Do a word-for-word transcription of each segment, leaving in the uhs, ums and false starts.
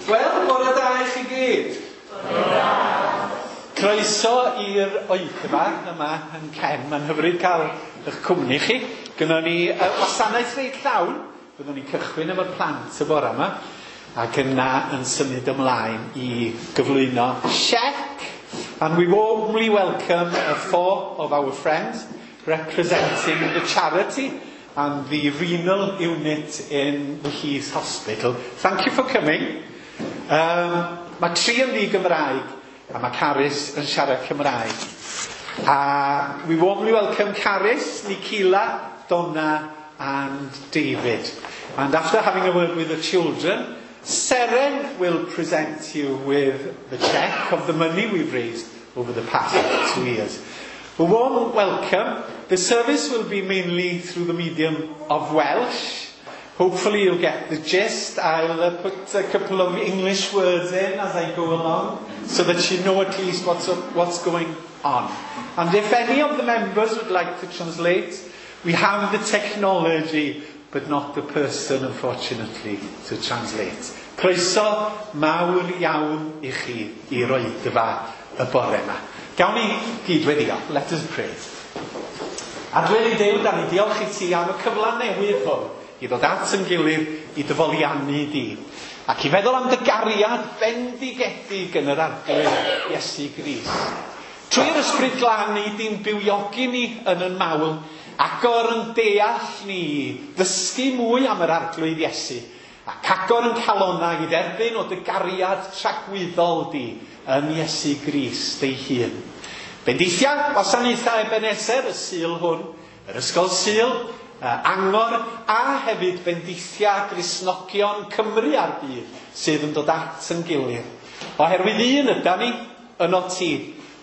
Wel, bore da i chi gyd. Bore da. Croeso i'r oedfa yma yn Cen. Mae'n hyfryd cael eich cwmni chi. Gynnon ni uh, wasanaeth reit llawn. Byddwn ni'n cychwyn efo'r plant y bore yma ac yna yn symud ymlaen i gyflwyno siec. And we warmly welcome uh, four of our friends representing the charity and the renal unit in the Heath Hospital. Thank you for coming. Um, mae tri yn ddi-Gymraeg a mae Carys yn siarad Cymraeg. A we warmly welcome Carys, Nikila, Donna and David. And after having a word with the children, Seren will present you with the cheque of the money we've raised over the past two years. A warm welcome. The service will be mainly through the medium of Welsh. Hopefully you'll get the gist. I'll uh, put a couple of English words in as I go along so that you know at least what's, up, what's going on. And if any of the members would like to translate, we have the technology, but not the person, unfortunately, to translate. Croeso mawr iawn i chi i'r oedfa y bore yma. Gawn ni gyd weddio. Let us pray. Adwel i Duw, da ni diolch i ti am y cyfle newydd hwn i ddod at yn gilydd i dy foliannu di. Ac i feddwl am dy gariad bendigedig yn yr Arglwydd Iesu Grist. Trwy'r Ysbryd Glân ni di'n bywiogi ni yn yn mawl, agor yn deall ni, ddysgu mwy am yr Arglwydd Iesu, ac agor yn calonnau i dderbyn o dy gariad tragwyddol di yn Iesu Grist ei hun. Bendithia wasanaethau Ebenezer y Sul hwn, yr Ysgol Sul, Angor, a hefyd bendithia Gristnogion Cymru a'r byd sydd yn dod at yn gilydd. Oherwydd un yda ni, yno ti,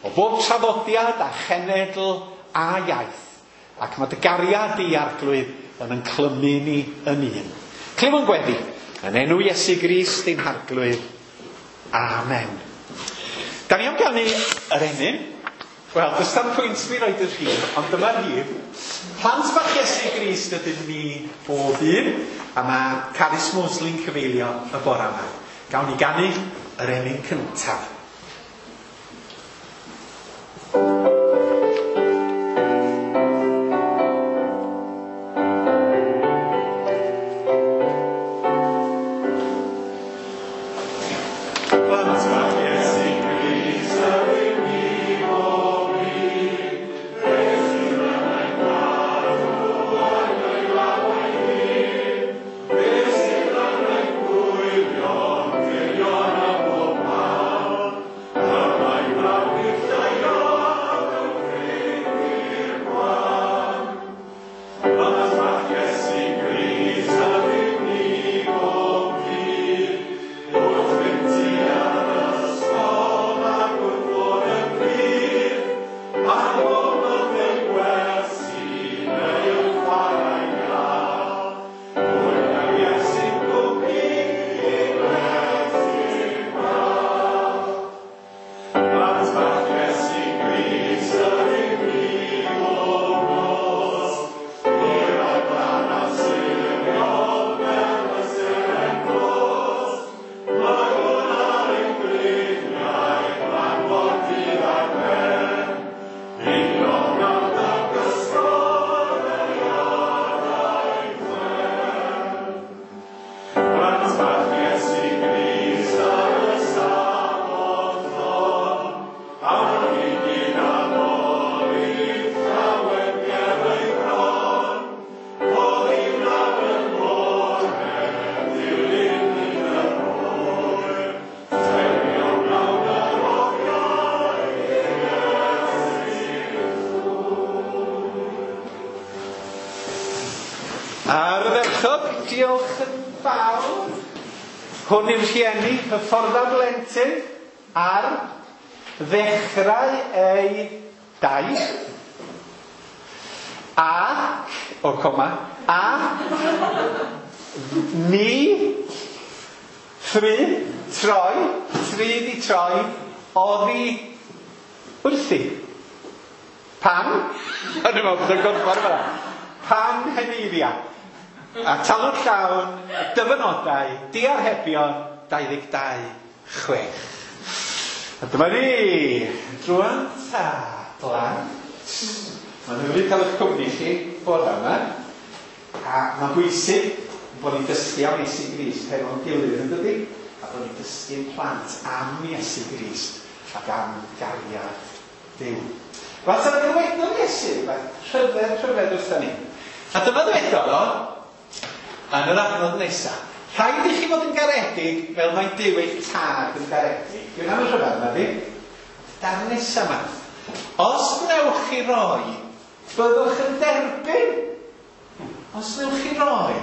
o bob traddodiad a chenedl a iaith, ac mae dy gariad di Arglwydd yn yn clymu ni yn un. Clyw yn gweddi, yn enw Iesu Grist ein Harglwydd. Amen. Da ni am ganu yr emyn. Wel, does dim pwynt fi roed y rhif, ond dyma'r rhif. Plant bach Iesu Grist ydyn ni bob un, a mae Carys Mosley'n cyfeilio y bore yma. Gawn ni ganu yr emyn cyntaf. Diolch yn fawr. Hwn yw'r rhieni, hyffordda blentyn ar ddechrau ei daith. Ac, o coma, a ni, thri, troi, tri di troi, oddi wrthi. Pan? O'n i'n meddwl bod o'n gorfod fel 'na. Pan heneiria. A talw'n llawn, dyfynodau, diarhebion, dau ddeg dau, chwech. A dyma ni, drwan ta, blant. Mae'n hyfryd cael eich cwmni chi bore yma. A mae'n bwysig bod ni'n dysgu am Iesu Grist hefo'n gilydd, yn dydi? A bod ni'n dysgu'n plant am Iesu Grist ac am gariad Duw. Wel, ta ddywedodd Iesu rhywbeth rhyfedd rhyfedd wrthon ni. A dyma ddywedodd o yn yr adnod nesaf. Rhaid i chi fod yn garedig fel mae Duw eich tad yn garedig. Dwi'n am y rhyfedd yma, di? Darn nesaf yma. Os wnewch chi roi, byddwch yn derbyn. Os wnewch chi roi,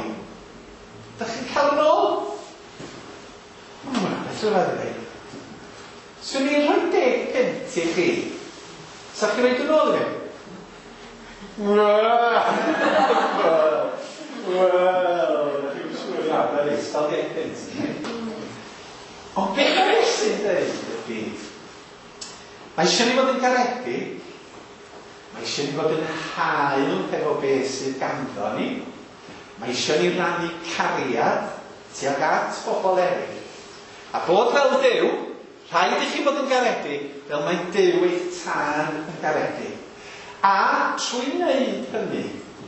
dych chi'n cael yn ôl. Hmm, beth rhyfedd i ddweud. Swn i'n rhoi deg punt i chi. Sa chi roed yn ôl i fi? Wel, chi'n siŵr iawn, na reis, cael deg punt. Ond beth mae Iesu'n dweud ydy, mae eisiau ni fod yn garedig, mae eisiau ni fod yn hael hefo beth sydd ganddo ni, mae eisiau ni rannu cariad tuag at bobl eraill. A bod fel Duw, rhaid i chi fod yn garedig fel mae Duw eich tad yn garedig. A trwy wneud hynny,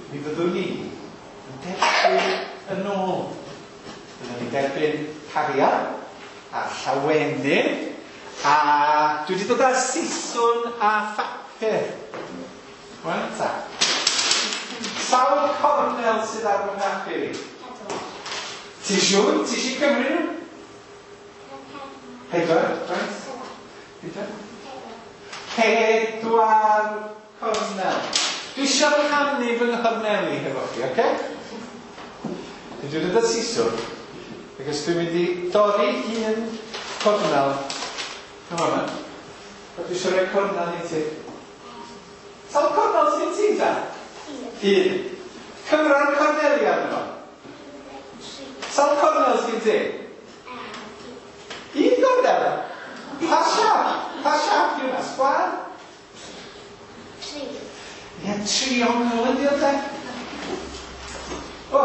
mi fyddwn ni yn derbyn yn ôl. Byddwn ni'n derbyn cariad a llawenydd, a dwi wedi dod â siswrn a phapur. Wel ta. Sawl cornel sydd ar fy mhapur i? Ti siŵr? Ti eisiau cymryd nhw? Pedwar, right? Pedwar? Pedwar cornel. Dwi eisiau rhannu fy nghorneli hefo chi, oce? Dwi wedi dod â siswrn, ac os dwi'n mynd i dorri un cornel. Come on, man. A dwi eisiau rhoi cornel i ti. Sawl cornel sydd gen ti, ta? Un. Cyfra'r corneli arno fo. Sawl cornel sydd gen ti? Un cornel? Pa siap? Pa siap di hwnna? Sgwâr? Tri. Ie, triongl ydi o, de? O,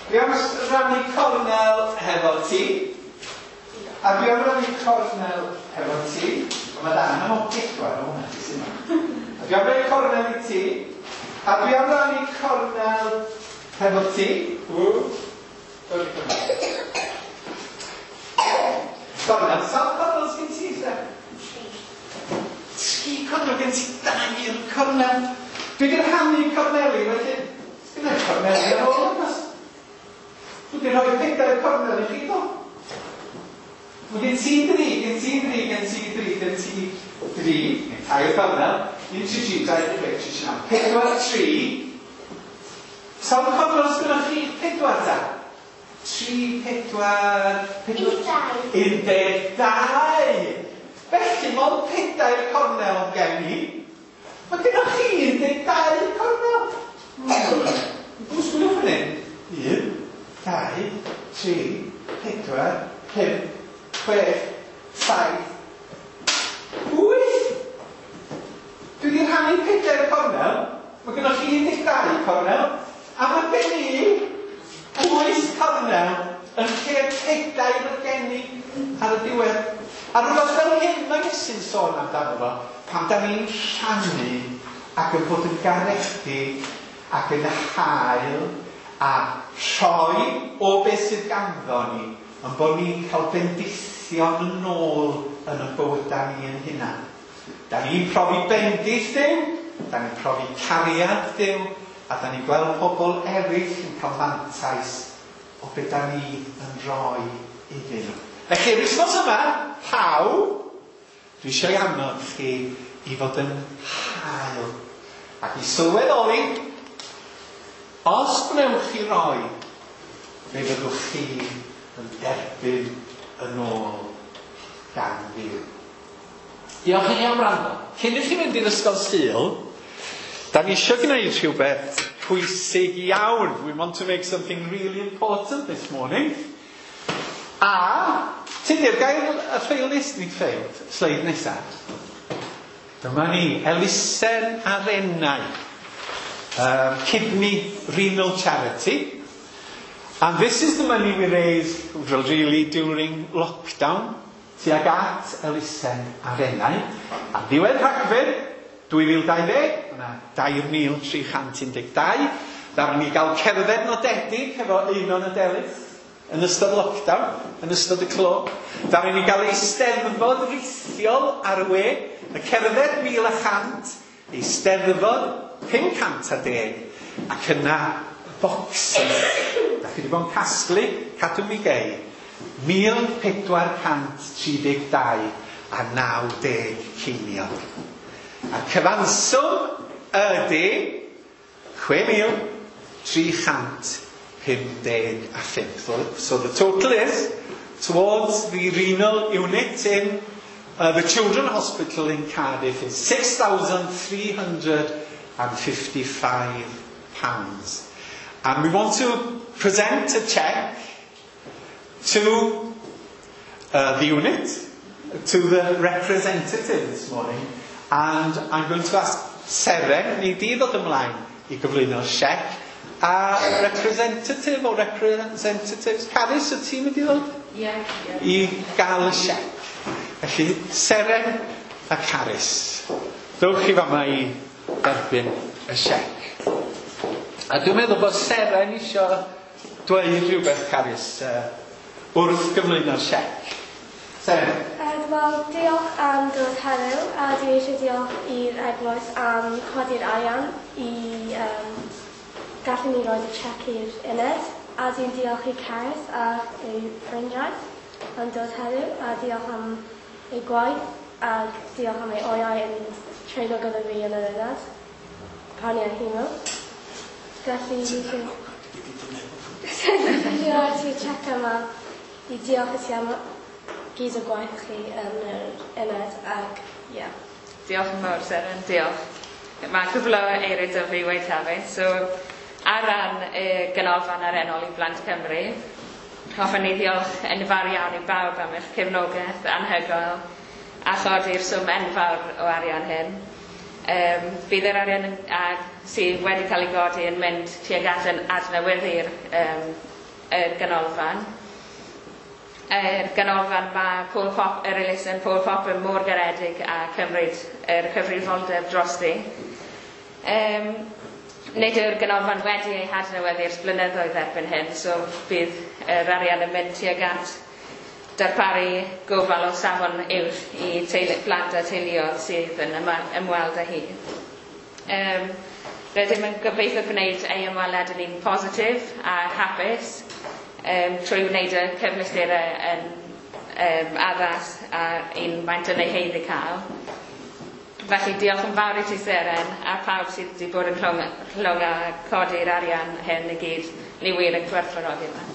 dwi am rannu cornel hefo ti. A dwi am rannu cornel hefo ti. O, mae dan am o pedwar o hwnna, ti sy'n yma. A dwi am rannu cornel i ti. A dwi am rannu cornel hefo ti. Ww. Torri cornel. Cornel, sawl cornel sgyn ti, te? Tri. Tri cornel, gen ti dair cornel. Dwi wedi rhannu corneli, felly sgyn i'r corneli ar ôl yma. Dwi wedi rhoi pedair cornel i chi, do. Mae gen ti dri, gen ti dri, gen ti dri, gen ti dri, neu tair cornel. Un, tri, tri, dau, chwech, tri, tri, naw. Pedwar, tri. Sawl cornel sgynnoch chi pedwar, ta? Tri, pedwar, pedwar... Un dau. Un deg dau. Felly, mond pedair cornel gen i. Mae gennych chi un deg dau cornel. Hmm. Dwi'n sgwylio fan hyn. Un, dau, tri, pedwar, pump, chwech, saith, wyth. Dwi wedi rhannu pedair cornel. Mae gennych chi un deg dau cornel. A mae gen i wyth cornel yn lle pedair oedd gen i ar y diwedd. A rhywbeth fel hyn mae Iesu'n sôn amdano fo, pan da ni'n rhannu ac yn bod yn garedig ac yn hael a rhoi o beth sydd ganddo ni, yn bod ni'n cael bendithion yn ôl yn y bywydau ni yn hunan. Da ni'n profi bendith Duw, da ni'n profi cariad Duw, a da ni'n gweld pobl eraill yn cael mantais o beth da ni yn rhoi iddyn nhw. Felly, yr wythnos yma, pawb, dwi eisiau annog chi i fod yn hael ac i sylweddoli, os gwnewch chi roi, fe fyddwch chi yn derbyn yn ôl gan Dduw. Diolch i chi am wrando. Cyn i chi fynd i'r ysgol Sul, da ni eisiau gwneud rhywbeth pwysig iawn. We want to make something really important this morning. A, Tudur, gael y ffeil nes, nid ffeil, sleid nesaf. Dyma ni, elusen arennau. Um, Kidney Renal Charity. And this is the money we raised really during lockdown tuag at elusen Arenau. A ddiwedd Rhagfyr dwy fil dau ddeg, yna dair mil tri chant un deg dau, ddaru ni gael cerdded nodedig efo Einon a Delyth yn ystod lockdown, yn ystod y clo. Ddaru ni gael eisteddfod rithiol ar y we, y cerdded mil a chant, eisteddfod pum cant a deg, ac yna bocsys. Da chi wedi bod yn casglu, cadw mi gei, mil pedwar cant tri deg dau a naw deg ceiniog. A'r cyfanswm ydy chwe mil tri chant pum deg a phump. So, so the total is towards the renal unit in uh, the Children's Hospital in Cardiff is six thousand three hundred and fifty-five pounds. And we want to present a cheque to uh, the unit, to the representative this morning, and I'm going to ask Seren, ni di ddod ymlaen i gyflwyno'r siec, a representative or representatives, Carys, y ti'n mynd i ddod? Ie. Yeah, yeah. I gael y siec. Felly, Seren a Carys, dowch chi fama i dderbyn y siec. A dwi'n meddwl bod Seren isio dweud rhywbeth, Carys, uh, wrth gyflwyno'r siec. Seren? Uh, Wel, diolch am dod heddiw, a dwi eisiau diolch i'r eglwys am codi'r arian i um, gallu ni roed y siec i'r uned, a dwi'n diolch i Carys a ei ffrindiau am dod heddiw, a diolch am ei gwaith, a diolch am ei oriau yn treulio gyda fi yn yr uned, pan i ar hemo. Felly, dwi eisiau rhoi ti'r siec yma i diolch i ti am gyd o gwaith chi yn yr uned, ac ie. Yeah. Diolch yn fawr, Seren, diolch. Mae cwpl o eiriau 'da fi weud hefyd. So, ar ran y Ganolfan Arennol i Blant Cymru, hoffwn ni ddiolch yn fawr iawn i bawb am eich cefnogaeth anhygoel a chodi'r swm enfawr o arian hyn. Um, bydd yr arian yn, a, sydd wedi cael ei godi yn mynd tuag at yn adnewyddu'r um, y ganolfan. Yr ganolfan mae Paul Pop, yr elusen Paul Pop yn mor garedig a cymryd yr cyfrifoldeb drosti. Um, nid yw'r ganolfan wedi ei hadnewyddu ers blynyddoedd erbyn hyn, so bydd yr arian yn mynd tuag at darparu gofal o safon uwch i teulu, plant a teuluoedd sydd yn ymweld â hi. Um, rydym yn gobeithio gwneud ei ymweliad yn un positif a hapus um, trwy wneud y cyfleusterau yn um, addas a un maent yn ei haeddu cael. Felly diolch yn fawr i ti Seren a pawb sydd wedi bod yn rhwng, rhwng a codi'r arian hyn i gyd. Ni wir yn gwerthfawrogi yma.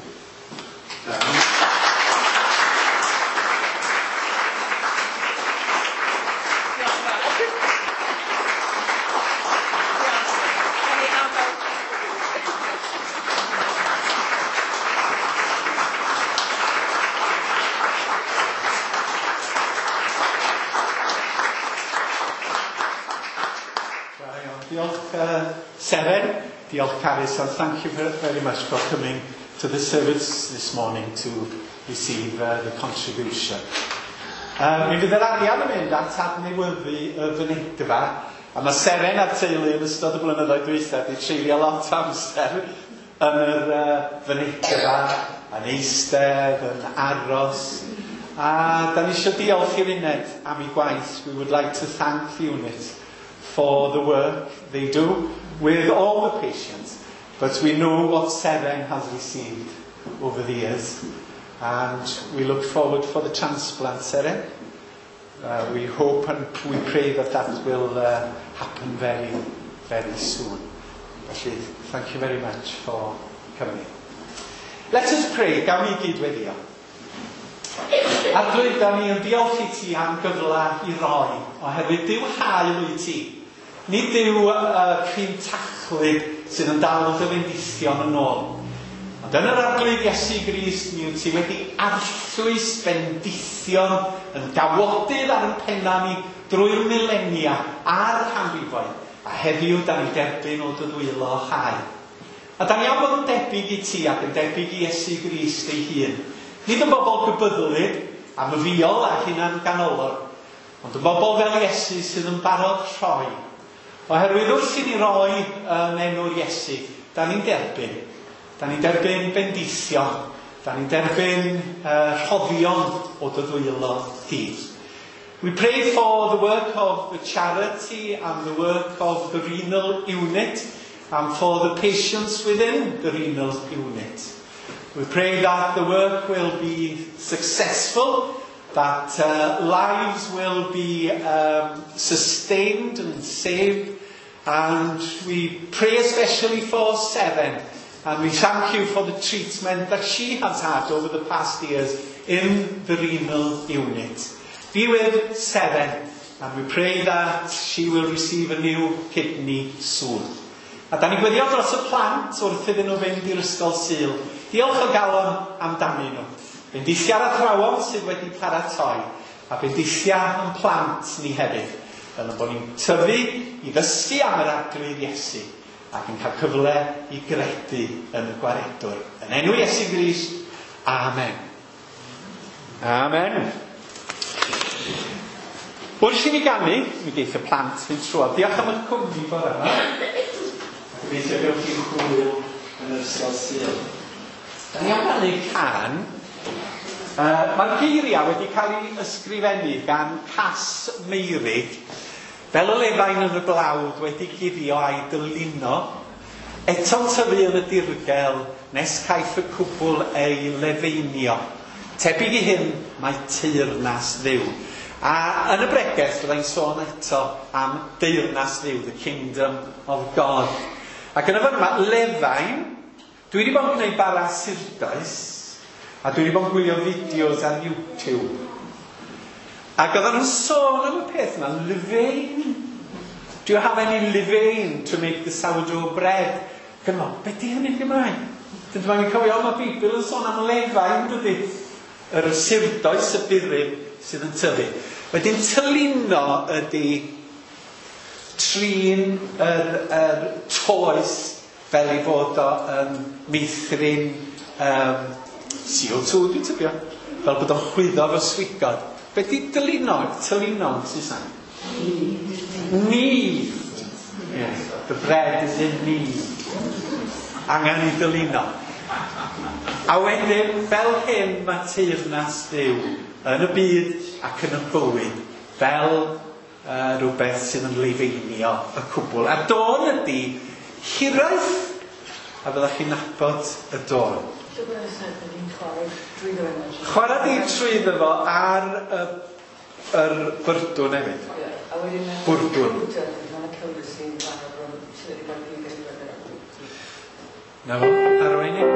Diolch uh, Seren, diolch Carys, and thank you very much for coming to the service this morning to receive uh, the contribution. Uh, mi fydd yr arian yn mynd at adnewyddu y fynedfa, a mae Seren a'r teulu yn ystod y blynyddoedd dwytha wedi treulio lot o amser yn yr uh, fynedfa, yn eistedd, yn aros. A da ni eisiau diolch i'r uned am ei gwaith. We would like to thank the unit for the work they do with all the patients. But we know what Seren has received over the years, and we look forward for the transplant, Seren. Uh, we hope and we pray that that will uh, happen very, very soon. Felly, thank you very much for coming. Let us pray. Gawn ni gyd weddio. Arglwydd, da ni yn diolch i ti am gyfle i roi, oherwydd Duw hael wyt ti. Nid yw uh, cryn tachlyd sydd yn dal dy fendithion yn ôl. Ond yn yr Arglwydd Iesu Grist, mi wyt ti wedi arllwys bendithion yn gawodydd ar ein penna ni drwy'r milenia a'r canrifoedd, a heddiw da ni derbyn o dy ddwylo hael. A da ni am fod yn debyg i ti ac yn debyg i Iesu Grist ei hun. Nid yn bobl gybyddlyd a myfiol a hunan ganolog, ond yn bobl fel Iesu sydd yn barod rhoi. Oherwydd wrth i ni roi yn enw'r Iesu, da ni'n derbyn. Da ni'n derbyn bendithio. Da ni'n derbyn uh, rhoddion o dy ddwylo di. We pray for the work of the charity and the work of the renal unit and for the patients within the renal unit. We pray that the work will be successful, that uh, lives will be um, sustained and saved, and we pray especially for Seven, and we thank you for the treatment that she has had over the past years in the renal unit. Be with Seven, and we pray that she will receive a new kidney soon. A da ni'n gweddio dros y plant wrth iddyn nhw fynd i'r ysgol Sul. Diolch o galon amdanyn nhw. Bendithia'r athrawon sydd wedi paratoi, a bendithia yn plant ni hefyd, fel yn bod ni'n tyfu i ddysgu am yr Arglwydd Iesu, ac yn cael cyfle i gredu yn y Gwaredwr. Yn enw Iesu Grist, amen. Amen. Wrth i ni ganu, mi geith y plant fynd trwodd. Diolch am eich cwmni bore yma. A gobeithio gewch chi hwyl yn yr ysgol Sul. Da ni am ganu cân. Uh, Mae'r geiriau wedi cael ei ysgrifennu gan Cass Meurig, fel y lefain yn y blawd wedi guddio a'i dylino, eto'n tyfu yn y dirgel nes caiff y cwbl ei lefeinio. Tebyg i hyn mae teyrnas Dduw. A yn y bregeth byddai'n sôn eto am deyrnas Dduw, the kingdom of God. Ac yn y fan yma, lefain, dwi wedi bod yn gwneud bara surdoes, a dwi wedi bod yn gwylio fideos ar YouTube. Ac oedden nhw'n sôn am y peth yma, levain. Do you have any levain to make the sourdough bread? Ac yn meddwl, be di hynny'n Gymraeg? Dyma ni'n cofio, mae Beibl yn sôn am lefain, dydy? Yr surdoes, y burum sydd yn tyfu. Wedyn tylino ydy trin yr, yr toes fel ei fod o yn meithrin um, C O two, dwi'n tybio, fel bod o'n chwyddo efo swigod. Be di dylino? Tylino yn Saesneg? Knead. Yes, the bread is in knead. Angen i dylino. A wedyn, fel hyn mae teyrnas Dduw yn y byd ac yn y bywyd, fel uh, rhywbeth sydd yn leifeinio y cwbl. A dôn ydy hiraeth, a fyddwch chi'n nabod y dôn. Chwarae di trwyddo fo ar y, yr byrdwn hefyd. Bwrdwn. Na fo, arwain ni.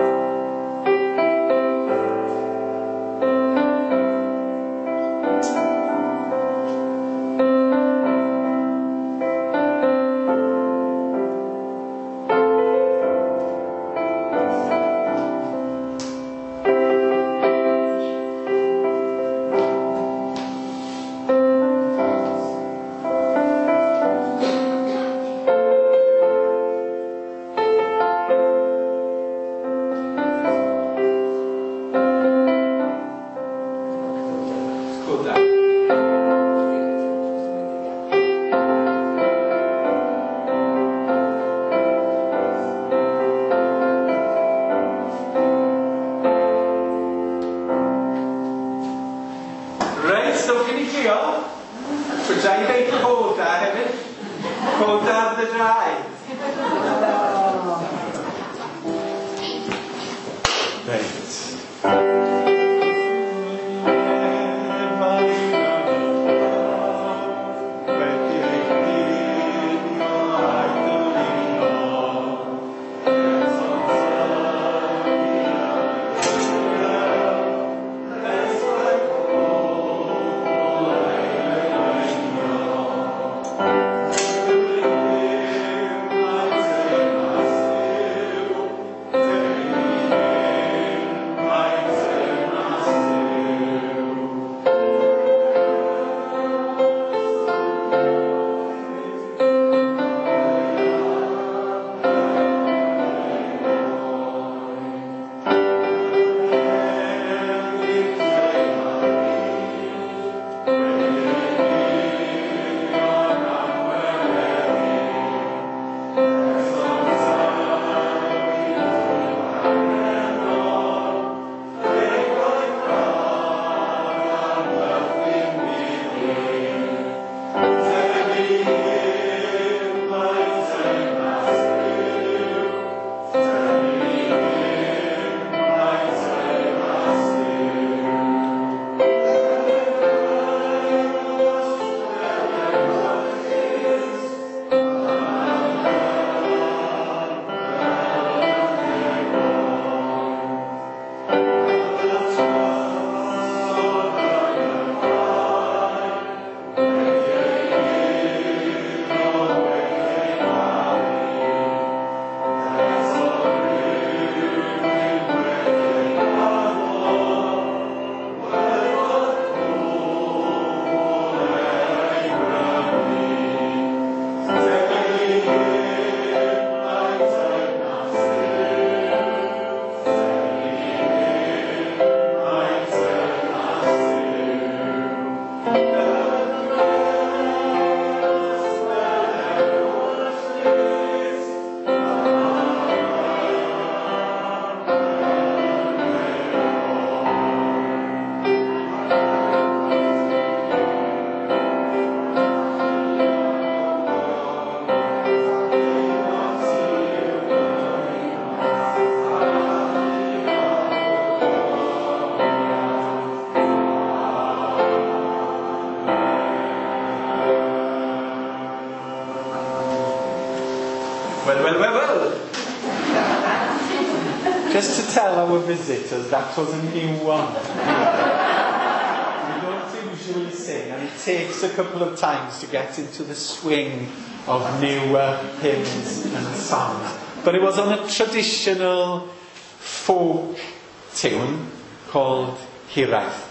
Well, well, well, well. Just to tell our visitors, that was a new one. We don't usually sing, and it takes a couple of times to get into the swing of new uh, hymns and songs. But it was on a traditional folk tune called Hiraeth.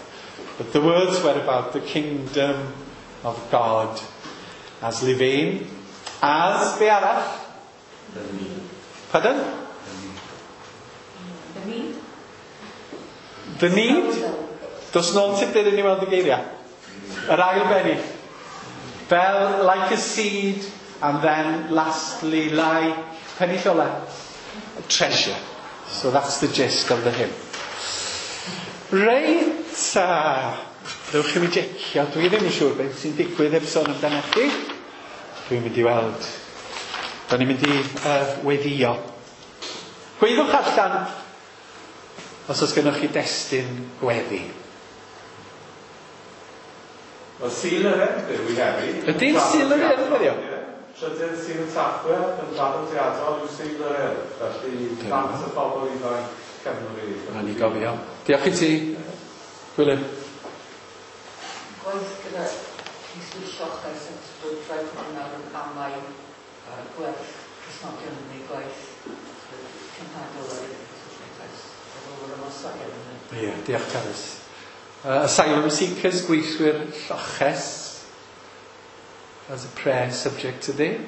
But the words were about the kingdom of God as Levain, as be arall? The need. Pardon? The need. The need? Dos nôl tipyn i ni weld y geiriau. Yr ail bennill. Fel like a seed, and then lastly like, pennill ola, a treasure. So that's the gist of the hymn. Reit, uh, dewch i mi jecio. Dwi ddim yn siŵr beth sy'n digwydd heb sôn amdano chi. Dwi'n mynd i weld. Da ni'n mynd i uh, weddio. Gweddwch allan os oes gennych chi destun gweddi. Wel, Sul yr Urdd yw i heddi. Ydy'n Sul yr Urdd heddiw? Ie. Trydydd Sul Tachwedd yn draddodiadol yw Sul yr Urdd. Felly, plant y bobl ifanc Cymru. Na ni gofio. Diolch i ti, Gwilym. Gwaith gyda Ceiswyr Lloches yn bod rhaid bod nawr yn amau uh, gwerth Cristnogion yn ei gwaith cymhadol ar yr ymosodiad yna. Ie, diolch Carys. Uh, asylum seekers, gweithwyr lloches, as a prayer subject today,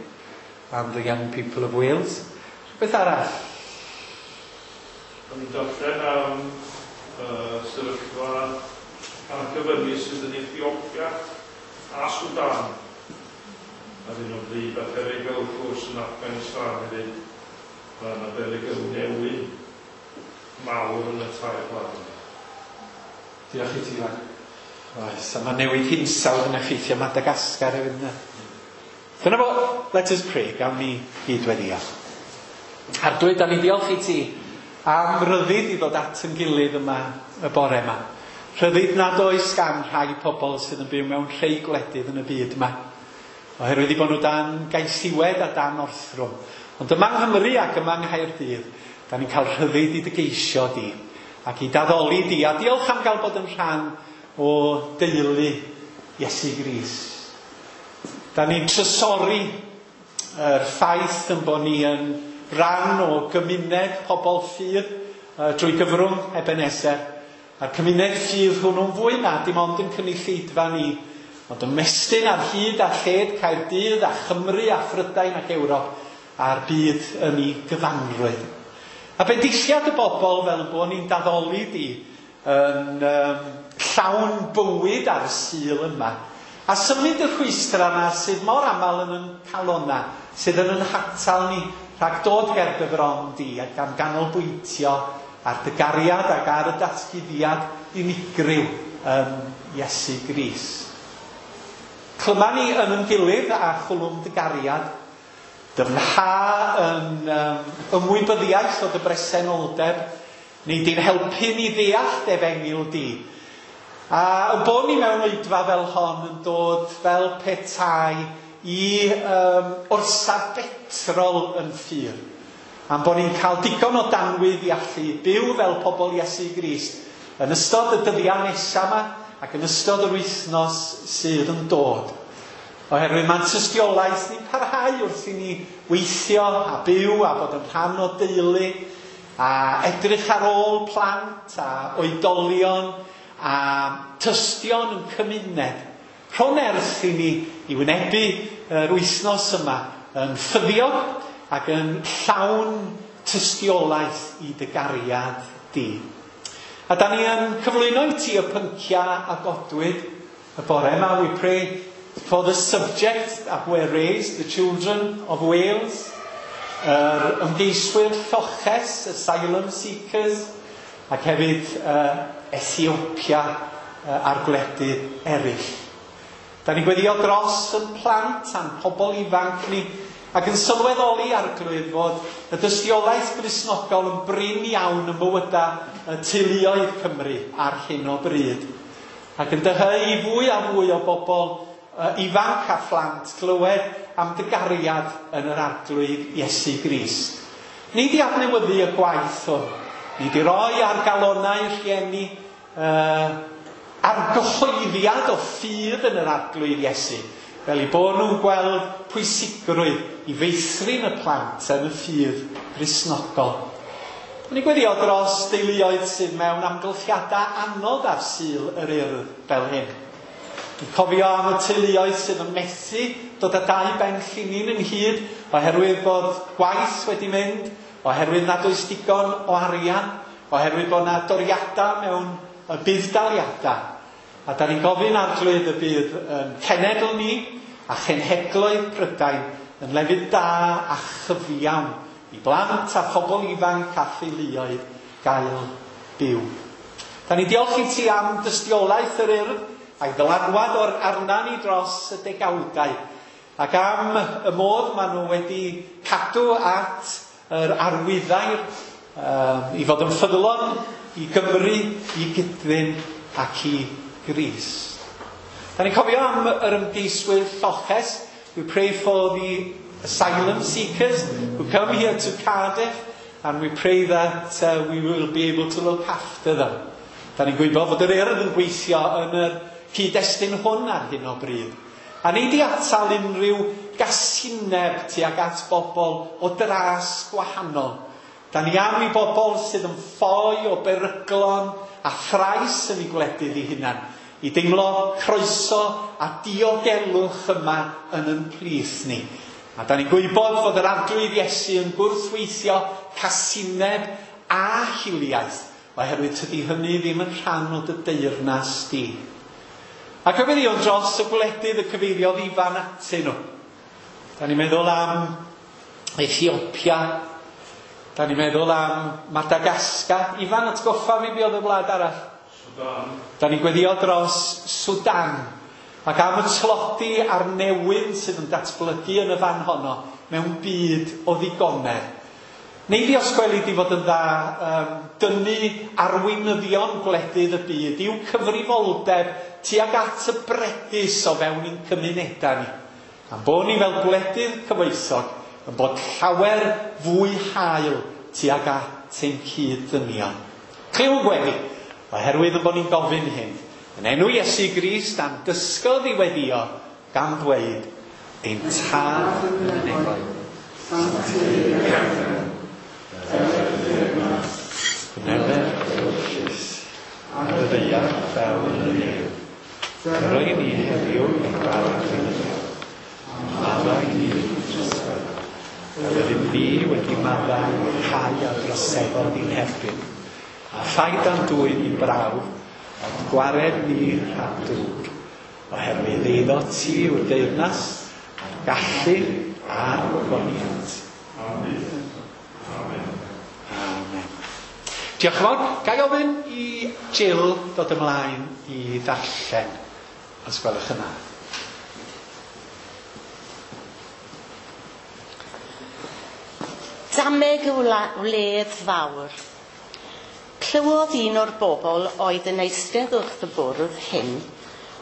and the young people of Wales. Beth arall? O'n i'n darllen am uh, sefyllfa argyfyngu sydd yn Ethiopia a Sudan ar hyn o bryd, a perygl wrth gwrs yn Afghanistan hefyd. Mae yna berygl newyn mawr yn y tair gwlad. Diolch i ti, Iwan. Oes, a mae newid hinsawdd yn effeithio Madagascar hefyd yna. Dyna fo, let us pray, gawn ni gyd weddio. Arglwydd, da ni diolch i ti am ryddid i ddod at yn gilydd yma y bore yma. Rhyddid nad oes gan rhai pobl sydd yn byw mewn rhai gwledydd yn y byd yma. Oherwydd i bod nhw dan gaethiwed a dan orthrwm. Ond yma yng Nghymru ac yma yng Nghaerdydd, da ni'n cael rhyddid i dy geisio di ac i d'addoli di. A diolch am gael bod yn rhan o deulu Iesu Grist. Da ni'n trysori yr ffaith yn bod ni yn rhan o gymuned pobl ffydd uh, drwy gyfrwng Ebenezer. A'r cymuned ffydd hwnnw'n fwy na dim ond yn cynulleidfa ni, ond ymestyn ar hyd a lled Caerdydd a Chymru a Phrydain ac Ewrop a'r byd yn ei gyfanrwydd. A bendithiad y bobl fel bod ni'n d'addoli di yn um, llawn bywyd ar y Sul yma. A symud y rhwystra yna sydd mor aml yn yn calona, sydd yn yn hatal ni rhag dod ger dy fron di ac am ganolbwyntio ar dy gariad ac ar y datguddiad unigryw yn Iesu Grist. Clyma ni yn yn gilydd a chwlwm dy gariad, dyfnha yn um, ymwybyddiaeth o dy bresenoldeb, neu di'n helpu ni ddeall dy efengyl di. A y bod ni mewn oedfa fel hon yn dod fel petai i um, orsaf betrol yn ffydd. Am bod ni'n cael digon o danwydd i allu byw fel pobl Iesu Grist yn ystod y dyddiau nesaf yma ac yn ystod yr wythnos sydd yn dod. Oherwydd mae'n tystiolaeth ni'n parhau wrth i ni weithio a byw a bod yn rhan o deulu a edrych ar ôl plant a oedolion a tystion yn cymuned. Rho nerth i ni i wynebu yr wythnos yma yn ffyddiog ac yn llawn tystiolaeth i dy gariad di. A da ni yn cyflwyno i ti y pynciau a godwyd y bore yma. We pray for the subject that were raised, the children of Wales, yr ymgeiswyr lloches, asylum seekers, ac hefyd uh, Ethiopia uh, a'r gwledydd eraill. Da ni'n gweddio dros yn plant a'n pobl ifanc ni, ac yn sylweddoli Arglwydd fod y dystiolaeth Gristnogol yn brin iawn yn bywydau y teuluoedd Cymru ar hyn o bryd. Ac yn dyheu i fwy a fwy o bobl ifanc a phlant glywed am dy gariad yn yr Arglwydd Iesu Grist. Ni di adnewyddu y gwaith hwn. Ni di roi ar galonau rhieni uh, argyhoeddiad o ffydd yn yr Arglwydd Iesu, fel i bod nhw'n gweld pwysigrwydd i feithrin y plant yn y ffydd Gristnogol. Ni'n gweddio dros deuluoedd sydd mewn amgylchiadau anodd ar Sul yr Urdd fel hyn. Ni'n cofio am y teuluoedd sydd yn methu dod â dau ben llinyn ynghyd oherwydd bod gwaith wedi mynd, oherwydd nad oes digon o arian, oherwydd bod yna doriadau mewn y budd-daliadau. A da ni'n gofyn Arglwydd y bydd yn cenedl ni a chenhedloedd Prydain yn lefydd da a chyfiawn i blant a phobl ifanc a theuluoedd gael byw. Da ni'n diolch i ti am dystiolaeth yr Urdd a'i ddylanwad o'r arna ni dros y degawdau, ac am y modd maen nhw wedi cadw at yr arwyddair um, i fod yn ffyddlon i Gymru, i Gydfyn ac i Grist. Da ni'n cofio am yr ymgeiswyr lloches. We pray for the asylum seekers who come here to Cardiff, and we pray that uh, we will be able to look after them. Da ni'n gwybod fod yr Urdd yn gweithio yn yr cyd-destun hwn ar hyn o bryd. A ni di atal unrhyw gasineb tuag at bobl o dras gwahanol. Da ni am i bobl sydd yn ffoi o beryglon a thrais yn eu gwledydd eu hunan, i deimlo croeso a diogelwch yma yn yn plith ni. A da ni'n gwybod fod yr Arglwydd Iesu yn gwrthweithio casineb a hiliaeth, oherwydd tydi hynny ddim yn rhan o dy deyrnas di. A cyfeirion dros y gwledydd y cyfeiriodd Ifan atyn nhw. Da ni'n meddwl am Ethiopia, da ni'n meddwl am Madagascar. Ifan, atgoffa fi be oedd y wlad arall? Sudan. Da ni'n gweddio dros Sudan, ac am y tlodi a'r newyn sydd yn datblygu yn y fan honno mewn byd o ddigonedd. Neu di os gweli di fod yn dda um, dynnu arweinyddion gwledydd y byd i'w cyfrifoldeb tuag at y bregus o fewn i'n cymunedau ni. A'n bod ni fel gwledydd cyfoethog yn bod llawer fwy hael tuag at ein cyd-ddynion. Clyw gweddi, oherwydd yn bod ni'n gofyn hyn, yn enw Iesu Grist a'n dysgodd i weddio, gan ddweud, ein Tad yn y nefoedd, Gwneler ewyllys, ar y ddaear fel yn y nef. Roi ni heddiw ein bara beunyddiol, a maddau ni drosedd, fel yr ydym ni wedi maddau rhai a droseddodd i'n herbyn. A phaid â'n dwyn i brawf, ond gwared ni rhag drwg, oherwydd eiddo ti yw'r deyrnas, a'r gallu a'r gogoniant. Amen. Amen. Amen. Diolch yn fawr. Ga i ofyn i Jill dod ymlaen i ddarllen, os gwelwch yn dda. Dameg y wledd fawr. Clywodd un o'r bobl oedd yn eistedd wrth y bwrdd hyn,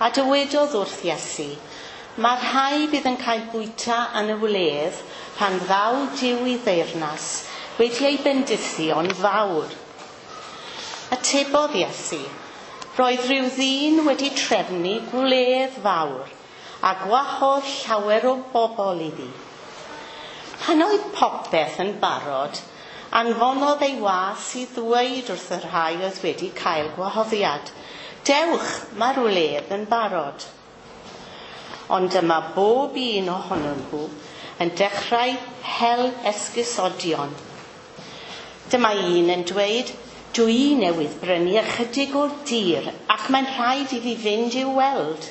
a dywedodd wrth Iesu, mae'r rhai bydd yn cael bwyta yn y wledd pan ddaw Duw i ddeyrnas wedi ei bendithio'n fawr. Atebodd Iesu, roedd rhyw ddyn wedi trefnu gwledd fawr a gwahodd llawer o bobl iddi. Pan oedd popeth yn barod, anfonodd ei was i ddweud wrth y rhai oedd wedi cael gwahoddiad, dewch, mae'r wledd yn barod. Ond dyma bob un ohonyn nhw yn dechrau hel esgusodion. Dyma un yn dweud, dwi newydd brynu ychydig o'r dir ac mae'n rhaid i fi fynd i'w weld.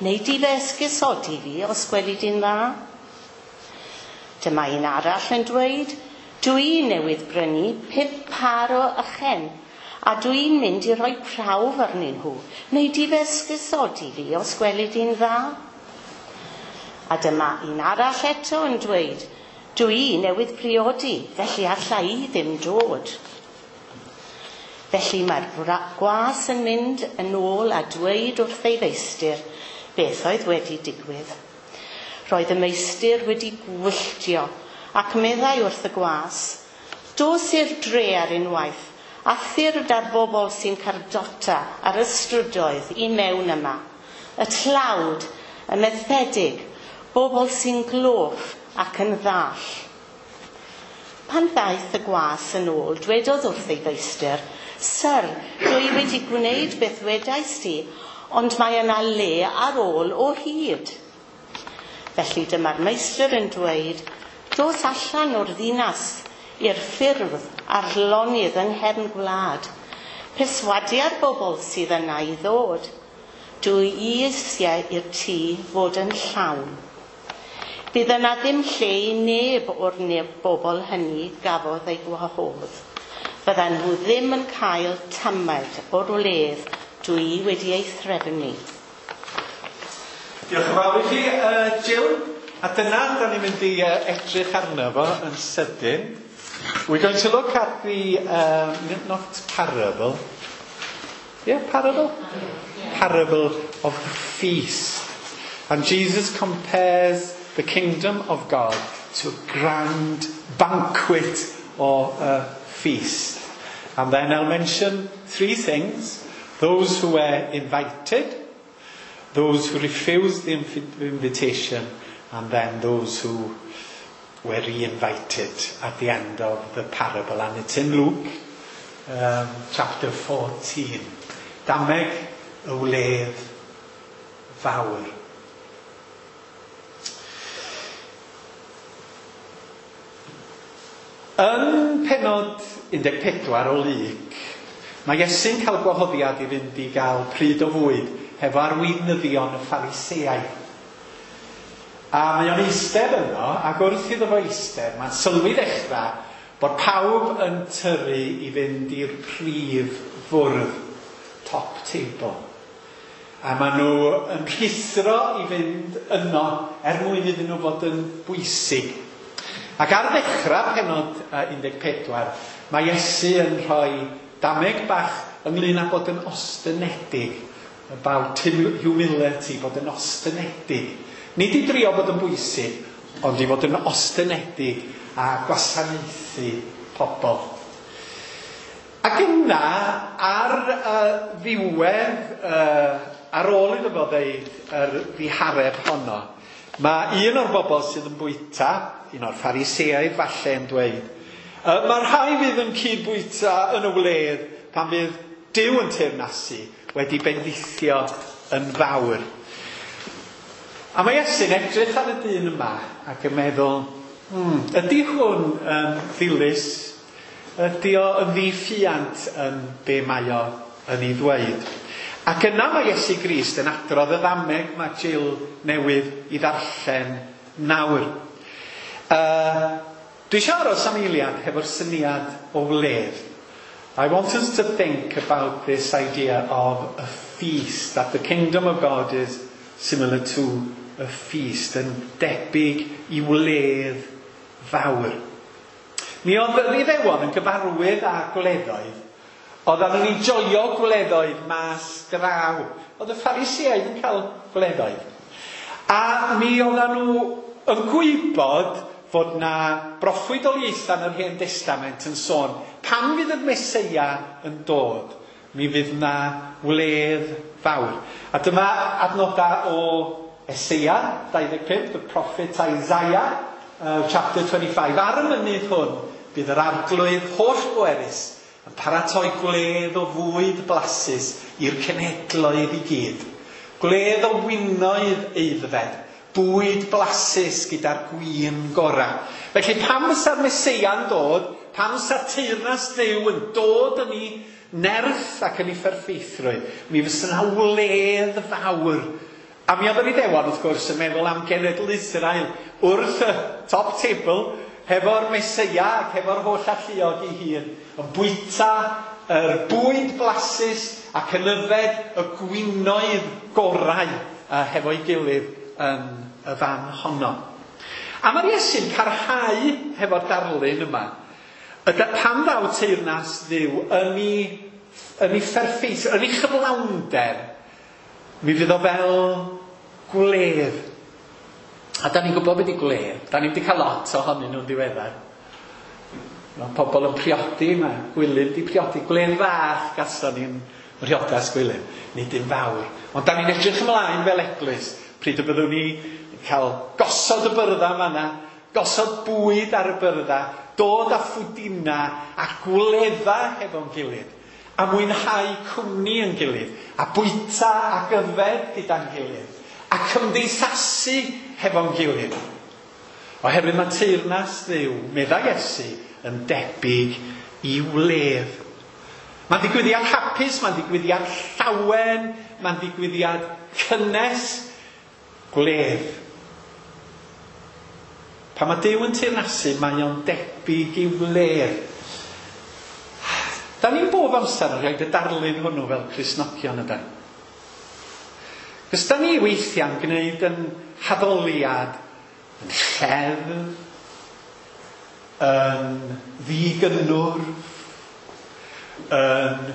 Neu di fe esgusodi fi os gweli di'n dda? Dyma un arall yn dweud, dwi newydd brynu pump par o ychen a dwi'n mynd i roi prawf arnyn nhw. Neu di fe esgusodi fi os gweli di'n dda? A dyma un arall eto yn dweud, dwi newydd priodi, felly alla i ddim dod. Felly mae'r gwas yn mynd yn ôl a dweud wrth ei feistr, beth oedd wedi digwydd. Roedd y meistr wedi gwylltio ac meddai wrth y gwas, "Dos i'r dre ar unwaith a thyrd ar bobl sy'n cardota ar y strydoedd i mewn yma, y tlawd, y methedig, bobl sy'n gloff ac yn ddall." Pan ddaeth y gwas yn ôl, dwedodd wrth ei feistr, "Syr, dwi wedi gwneud beth wedaist ti, ond mae yna le ar ôl o hyd." Felly dyma'r meistr yn dweud, "Dos allan o'r ddinas i'r ffyrdd a'r lonydd yng nghefn gwlad. Perswadia'r bobl sydd yna i ddod. Dwi eisiau i'r tŷ fod yn llawn. Bydd yna ddim lle i neb o'r neb bobl hynny gafodd ei gwahodd. Fyddan nhw ddim yn cael tamed o'r wledd dwi wedi ei threfnu." Diolch yn fawr i chi, uh, Jill. A dyna, da ni'n mynd i uh, edrych arno fo yn sydyn. We're going to look at the, um, not parable. Yeah, parable? Yeah. Parable of the feast. And Jesus compares the kingdom of God to a grand banquet or a feast. And then I'll mention three things. Those who were invited, those who refused the inv- invitation, and then those who were re-invited at the end of the parable. And it's in Luke um, chapter fourteen. Dameg y wledd fawr. Yn penod un deg pedwar o Luc, mae Iesu'n cael gwahoddiad i fynd i gael pryd o fwyd hefo arweinyddion y Phariseaid. A mae o'n eistedd yno, ac wrth iddo fo eistedd, mae'n sylwi ddechrau bod pawb yn tyrru i fynd i'r prif fwrdd, top table. A maen nhw yn rhuthro i fynd yno er mwyn iddyn nhw fod yn bwysig. Ac ar ddechrau penod un deg pedwar, mae Iesu yn rhoi dameg bach ynglyn â bod yn ostynedig, about humility, bod yn ostynedig. Nid i drio bod yn bwysig, ond i fod yn ostynedig a gwasanaethu pobl. Ac yna, ar uh, ddiwedd, uh, ar ôl iddo fo ddeud yr ddihareb honno, mae un o'r bobl sydd yn bwyta, un o'r Phariseaid falle, yn dweud, uh, mae'r rhai fydd yn cyd-bwyta yn y wledd pan fydd Duw yn teyrnasu wedi bendithio yn fawr. A mae Iesu'n edrych ar y dyn yma ac yn meddwl, hmm, ydy hwn yn ddilys? Ydy o yn ddiffiant yn be mae o yn ei ddweud? Ac yna mae Iesu Grist yn adrodd y ddameg mae Jill newydd i ddarllen nawr. Uh, dwi eisiau aros am eiliad hefo'r syniad o wledd. I want us to think about this idea of a feast, that the kingdom of God is similar to a feast, yn debyg i wledd fawr. Mi oedd yr Iddewon yn gyfarwydd â gwleddoedd. Oedden nhw'n enjoio gwleddoedd mas draw. Oedd y Phariseaid yn cael gwleddoedd. A mi oedden nhw yn gwybod fod na broffwydoliaethau yn yr Hen Testament yn sôn pan fydd y Meseia yn dod, mi fydd na wledd fawr. A dyma adnodau o Eseia dau ddeg pump, the prophet Isaiah, uh, chapter twenty-five. Ar y mynydd hwn, bydd yr arglwydd holl bwerus yn paratoi gwledd o fwyd blasus i'r cenhedloedd i gyd. Gwledd o winoedd aeddfed, bwyd blasus gyda'r gwin gorau. Felly pan fysa'r Meseia'n dod, pan fysa'r teyrnas Dduw yn dod yn ei nerth ac yn ei pherffeithrwydd, mi fysa yna wledd fawr. A mi oedd yr Iddewon, wrth gwrs, yn meddwl am genedl Israel wrth y top table, hefo'r Meseia ac hefo'r holl alluog ei hun, yn bwyta yr bwyd blasus ac yn yfed y gwinoedd gorau uh, hefo'i gilydd yn y fan honno. A mae'r Iesu'n parhau hefo'r darlun yma. Ydy pan ddaw teyrnas Dduw yn ei, yn ei pherffeith, yn ei chyflawnder, mi fydd o fel Gwledd. A da ni'n gwybod beth i gwledd. Da ni wedi cael lot ohonyn nhw'n ddiweddar. Mae pobl yn priodi, mae Gwilym di priodi. Gwledd fach gason ni'n priodas Gwilym, nid un fawr. Ond da ni'n edrych ymlaen fel eglwys, pryd y byddwn ni cael gosod y byrdda fanna, gosod bwyd ar y byrdda, dod â phwdina a gwledda hefo'n gilydd, a mwynhau cwmni yn gilydd, a bwyta ac yfed gyda'n gilydd, a cymdeithasu hefo'n gilydd. Oherwydd mae teyrnas Dduw, meddai Iesu, yn debyg i wledd. Mae'n ddigwyddiad hapus, mae'n ddigwyddiad llawen, mae'n ddigwyddiad cynnes, gwledd. Pan mae Duw yn teyrnasu, mae o'n debyg i wledd. Da ni'n bob amser yn rhoi y darlun hwnnw fel Cristnogion ydan. Cos da ni weithiau'n gwneud yn haddoliad, yn lleddf, yn ddigynnwrf, yn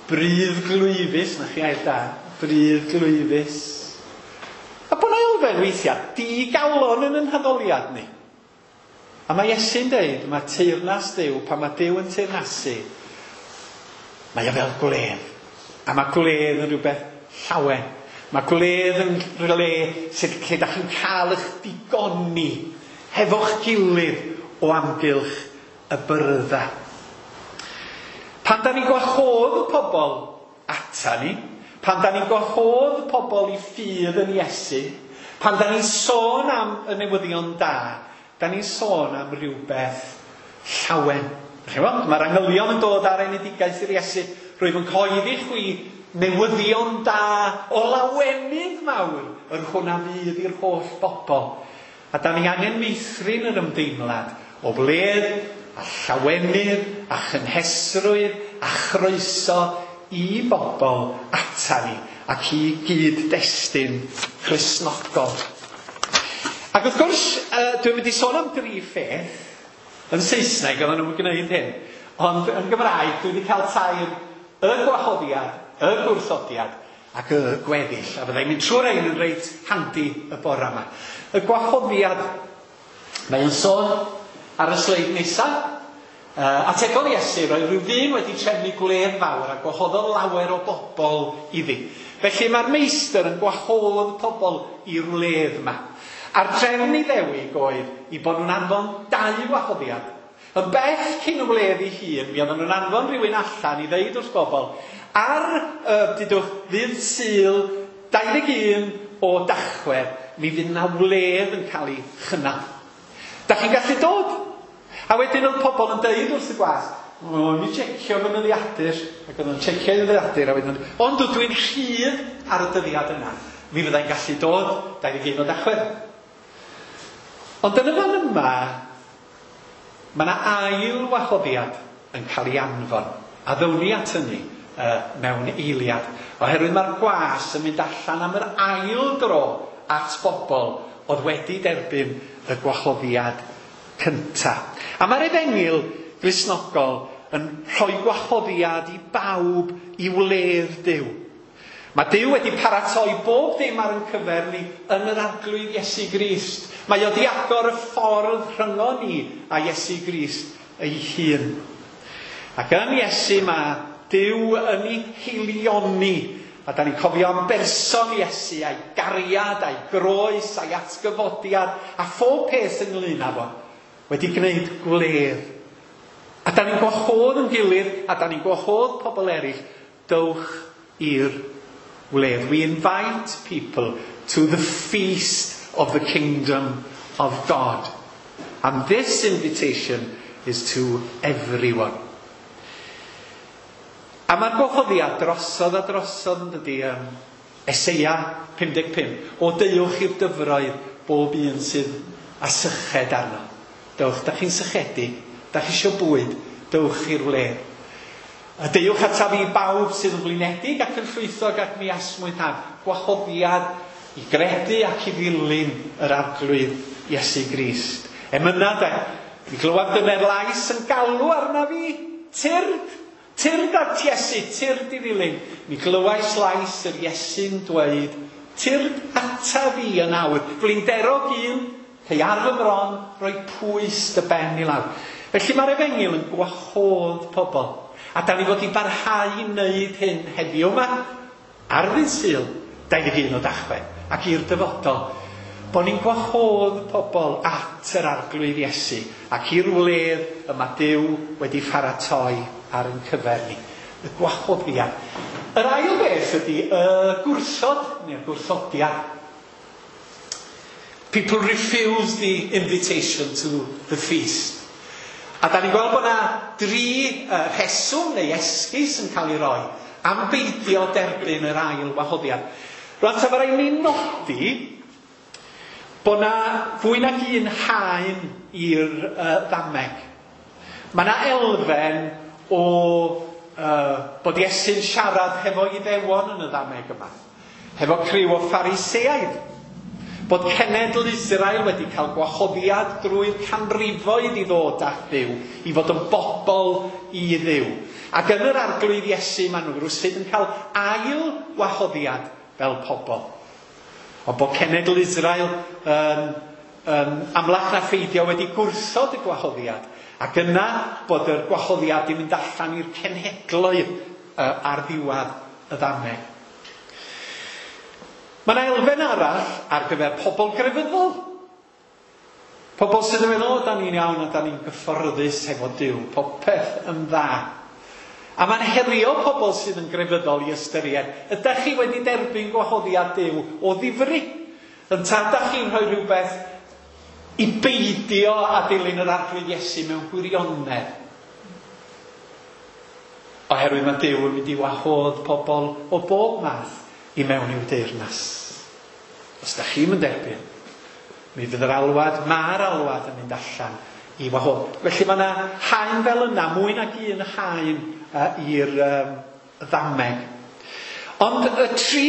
bruddglwyfus, na chi air da, bruddglwyfus. A bod 'na elfen weithiau digalon yn yn haddoliad ni. A mae Iesu'n deud, mae teyrnas Duw, pan mae Duw yn teyrnasu, mae o fel gwledd. A mae gwledd yn rhywbeth llawen. Mae gwledd yn rhywle sydd lle da chi'n cael eich digoni hefo'ch gilydd o amgylch y byrdda. Pan da ni'n gwahodd pobl ata ni, pan da ni'n gwahodd pobl i ffydd yn Iesu, pan da ni'n sôn am y newyddion da, da ni'n sôn am rhywbeth llawen. Mae'r angylion yn dod ar enedigaeth i'r Iesu. Rwyf yn cyhoeddi chwi newyddion da o lawenydd mawr, yr hwn a fydd i'r holl bobl. A da ni angen meithrin yr ymdeimlad o wledd a llawenydd a chynhesrwydd a chroeso i bobl ata ni ac i gyd-destun Cristnogol. Ac wrth gwrs, uh, dwi'n mynd i sôn am dri pheth. Yn Saesneg oedden nhw'n gwneud hyn, ond yn Gymraeg dwi wedi cael tair y gwahoddiad, y gwrthodiad ac y gweddill. A fyddai'n mynd trwy'r rhain yn reit handi y bore yma. Y gwahoddiad, mae'n sôn ar y sleid nesaf. Uh, ategodd Iesu, roedd rhyw ddyn wedi trefnu gwledd fawr a gwahoddodd lawer o bobl iddi. Felly mae'r meistr yn gwahodd pobl i'r wledd yma. A'r trefn Iddewig oedd i bod nhw'n anfon dau wahoddiad. Yn bell cyn y wledd ei hun, mi oedden nhw'n anfon rhywun allan i ddeud wrth bobl, ar, uh, dudwch, ddydd Sul dau ddeg un o Dachwedd, mi fydd yna wledd yn cael ei chynnal. Da chi'n gallu dod? A wedyn oedd pobl yn deud wrth y gwas, o, mi checio fy nyddiadur, ac oedd nhw'n checio ei ddyddiadur, a wedyn, ond dwi'n rhydd ar y dyddiad yna, mi fyddai'n gallu dod dau ddeg un o Dachwedd. Ond yn y fan yma, mae yna ail wahoddiad yn cael ei anfon, a ddown ni at hynny uh, mewn eiliad, oherwydd mae'r gwas yn mynd allan am yr ail dro at bobl oedd wedi derbyn y gwahoddiad cynta. A mae'r efengyl Gristnogol yn rhoi gwahoddiad i bawb i wledd Duw. Mae Duw wedi paratoi bob dim ar ein cyfer ni yn yr Arglwydd Iesu Grist. Mae o wedi agor y ffordd rhyngon ni a Iesu Grist ei hun. Ac yn Iesu mae Duw yn ei heilioni. A da ni'n cofio am berson Iesu, a'i gariad, a'i groes, a'i atgyfodiad, a phob peth ynglyn â fo, wedi gwneud gwledd. A da ni'n gwahodd yn gilydd, a da ni'n gwahodd pobl eraill, dowch i'r wledd. We invite people to the feast of the kingdom of God. And this invitation is to everyone. A mae'r gwahoddiad drosodd a drosodd yn dydi, um, Eseia pum deg pump, o deuwch i'r dyfroedd bob un sydd â syched arno. Dewch, da chi'n sychedig, da chi eisiau bwyd, dewch i'r wledd. A deuwch ataf i bawb sydd yn flinedig ac yn llwythog ac mi asmwythaf. Gwahoddiad i gredu ac i ddilyn yr Arglwydd Iesu Grist. Emyna de, mi glywaf dyner lais yn galw arna fi, tyrd, tyrd at Iesu, tyrd i ddilyn. Mi glywais lais yr Iesu'n dweud, Tyrd ata fi yn awr. Flinderog un, cei ar fy mron, roi pwys dy ben i lawr. Felly mae'r efengyl yn gwahodd pobl. A da ni fod i barhau i wneud hyn heddiw yma, ar ddydd Sul, dau ddeg un o Dachwedd, ac i'r dyfodol. Bod ni'n gwahodd pobl at yr Arglwydd Iesu ac i'r wledd y mae Duw wedi pharatoi ar ein cyfer ni. Y gwahoddiad. Yr ail beth ydy y gwrthod, neu'r gwrthodiad. People refuse the invitation to the feast. A da ni'n gweld bod yna dri uh, rheswm neu esgus yn cael ei roi am beidio derbyn yr ail wahoddiad. Rwan, ta mae rhaid ni nodi bod yna fwy nag un haen i'r uh, ddameg. Mae yna elfen o uh, bod Iesu'n siarad hefo Iddewon yn y ddameg yma. Hefo criw o Phariseaid. Bod cenedl Israel wedi cael gwahoddiad drwy'r canrifoedd i ddod at Dduw, i fod yn bobl i Dduw. Ac yn yr Arglwydd Iesu maen nhw rywsut yn cael ail wahoddiad fel pobl. Ond bod cenedl Israel yn, yn amlach na pheidio wedi gwrthod y gwahoddiad. Ac yna bod yr gwahoddiad yn mynd allan i'r cenhedloedd uh, ar ddiwedd y ddameg. Mae yna elfen arall ar gyfer pobl grefyddol. Pobl sydd yn meddwl, o, da ni'n iawn a da ni'n gyfforddus hefo Duw, popeth yn dda. A mae'n herio pobl sydd yn grefyddol i ystyried, ydych chi wedi derbyn gwahoddiad Duw o ddifri? Ynta ydych chi'n rhoi rhywbeth i beidio a dilyn yr Arglwydd Iesu mewn gwirionedd? Oherwydd mae Duw yn mynd i wahodd pobl o bob math i mewn i'w deyrnas. Os da chi'n mynd derbyn, mi fydd yr alwad, mae'r alwad yn mynd allan i wahodd. Felly mae yna haen fel yna, mwy nag un haen uh, i'r um, ddameg. Ond y tri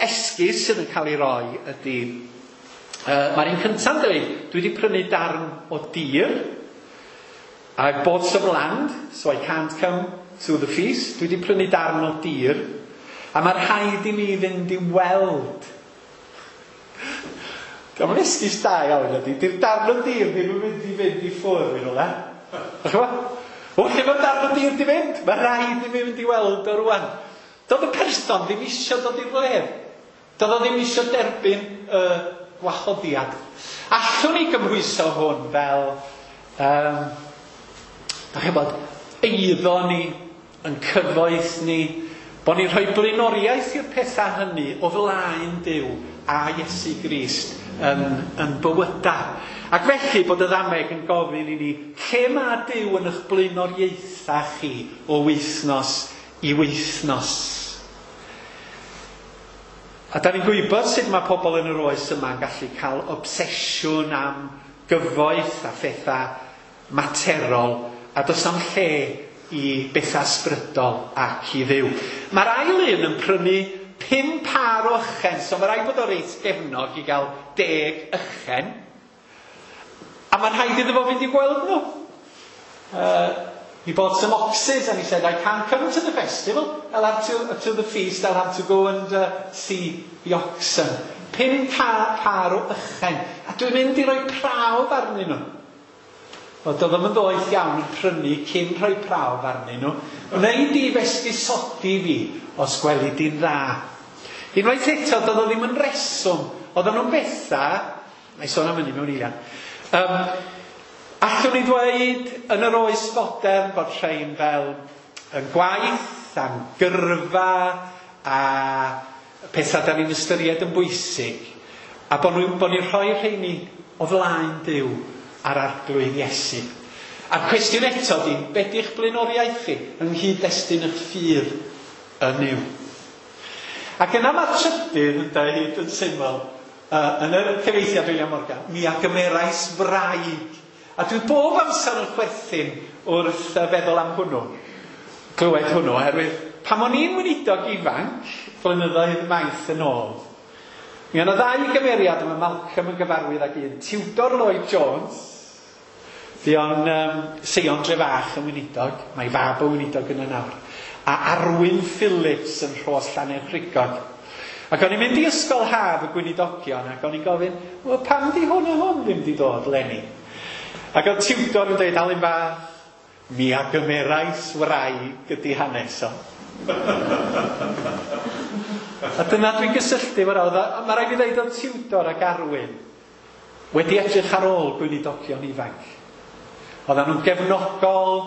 esgus sydd yn cael ei roi ydy, uh, mae'r un cyntaf yn dweud, dwi wedi prynu darn o dir, I've bought some land, so I can't come to the feast. Dwi wedi prynu darn o dir, a mae rhaid i mi fynd i weld. Diolch yn esgus da iawn ydy. Di'r darn o dir ddim yn mynd i fynd i ffwrdd i rhywle. Dach chi'n gwybod? O, lle mae'r darn o dir di fynd? Mae rhaid i mi fynd i weld o rwan. Doedd y person ddim eisiau dod i'r wledd. Doedd o ddim eisiau derbyn y gwahoddiad. Allwn ni gymhwyso hwn fel, um, dach chi'n gwybod, eiddo ni, yn cyfoeth ni, bod ni'n rhoi blaenoriaeth i'r pethau hynny o flaen Duw a Iesu Grist yn, yn bywyda. Ac felly bod y ddameg yn gofyn i ni, lle mae Duw yn eich blaenoriaethau chi o wythnos i wythnos? A da ni'n gwybod sut mae pobl yn yr oes yma yn gallu cael obsesiwn am gyfoeth a phethau materol, a does am lle i bethau ysbrydol ac i Dduw. Mae'r ail un yn prynu pum pâr o ychen, so mae rhaid bod o reit gefnog i gael deg ychen. A mae'n rhaid iddo fo fynd i gweld nhw. Uh, he bought some oxes and he said, I can't come to the festival, I'll have to, to the feast, I'll have to go and uh, see the oxen. Pum pâr o ychen. A dwi'n mynd i roi prawf arnyn nhw. Wel, doedd o'm yn ddoeth iawn yn prynu cyn rhoi prawf arnyn nhw. Wnei di f'esgusodi fi os gweli di'n dda. Unwaith eto, doedd o ddim yn reswm. Oedden nhw'n bethau, na i sôn am hynny mewn eiliad. Um, allwn ni ddweud yn yr oes fodern bod rhain fel yn gwaith, a'n gyrfa, a pethau da ni'n ystyried yn bwysig, a bod ni'n bo ni rhoi rheini o flaen Duw a'r Arglwydd Iesu. A'r cwestiwn eto di, be di'ch blaenoriaeth chi yng nghyd-destun eich ffydd yn Nuw? Ac yna mae'r trydydd yn dweud yn syml, uh, yn yr cyfieithiad William Morgan, mi a gymerais wraig. A dwi bob amser yn chwerthin wrth feddwl am hwnnw, clywed hwnnw, oherwydd pan o'n i'n weinidog ifanc, blynyddoedd maith yn ôl, mi oedd yna ddau gymeriad yma Malcolm yn gyfarwydd ag un, Tudor Lloyd Jones, fuo'n um, Seion Drefach yn weinidog, mae fab o weinidog yna nawr, a Arwyn Phillips yn Rhos Llanerchrugog. Ac o'n i'n mynd i ysgol haf y gweinidogion ac o'n i'n gofyn, wel pam di hwn a hwn ddim di dod leni? Ac oedd tiwtor yn dweud, Alun bach, mi a gymerais wraig ydi hanes o. A dyna dwi'n gysylltu efo'r oedd. Mae rhaid fi ddeud oedd Tiwdor ac Arwyn wedi edrych ar ôl gweinidogion ifanc. Oedden nhw'n gefnogol,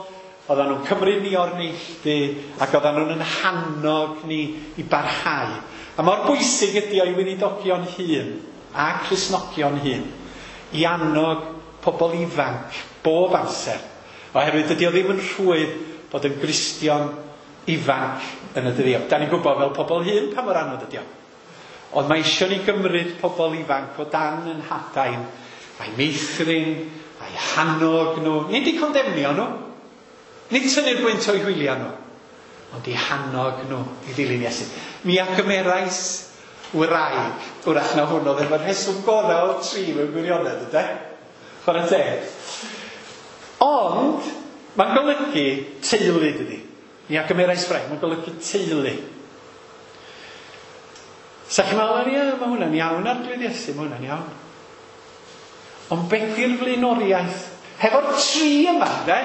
oedden nhw'n cymryd ni o'r neilltu, ac oedden nhw'n yn hannog ni i barhau. A mor bwysig ydi o i weinidogion hŷn a Cristnogion hŷn i annog pobl ifanc bob amser. Oherwydd dydy o ddim yn rhwydd bod yn Gristion ifanc yn y dyddiau. Da ni'n gwybod fel pobl hŷn pa mor anodd ydi o. Ond mae eisiau ni gymryd pobl ifanc o dan yn hadain, a'i meithrin, a'i hannog nhw. Nid i condemnio nhw, nid tynnu'r gwynt o'i hwyliau nhw, ond i hannog nhw i ddilyn Iesu. Mi a gymerais wraig. Wrach na hwn oedd efo'r rheswm gorau o'r tri mewn gwirionedd, yde? Chwarae teg. Ond, mae'n golygu teulu, dydy. Mi a gymerais wraig, mae'n golygu teulu. Sa chi'n meddwl, ie, mae hwnna'n iawn, Arglwydd Iesu, mae hwnna'n iawn. Ond beth yw'r flaenoriaeth? Hefo'r tri yma, de?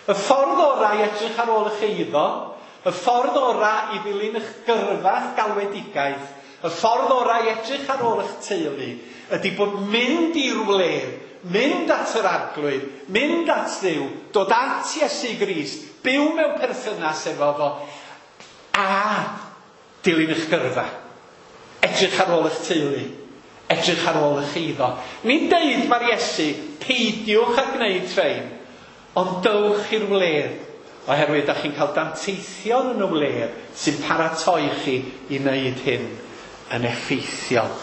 Y ffordd orau i edrych ar ôl eich eiddo, y ffordd orau i ddilyn eich gyrfa, galwedigaeth, y ffordd orau i edrych ar ôl eich teulu, ydy bod mynd i'r wledd, mynd at yr Arglwydd, mynd at Dduw, dod at Iesu Grist, byw mewn perthynas efo fo, a dilyn eich gyrfa. Edrych ar ôl eich teulu, edrych ar ôl eich eiddo. Ni'n deud mae'r Iesu, peidiwch â gwneud rhain, ond dowch i'r wledd, oherwydd da chi'n cael danteithion yn y wledd sy'n paratoi chi i wneud hyn yn effeithiol.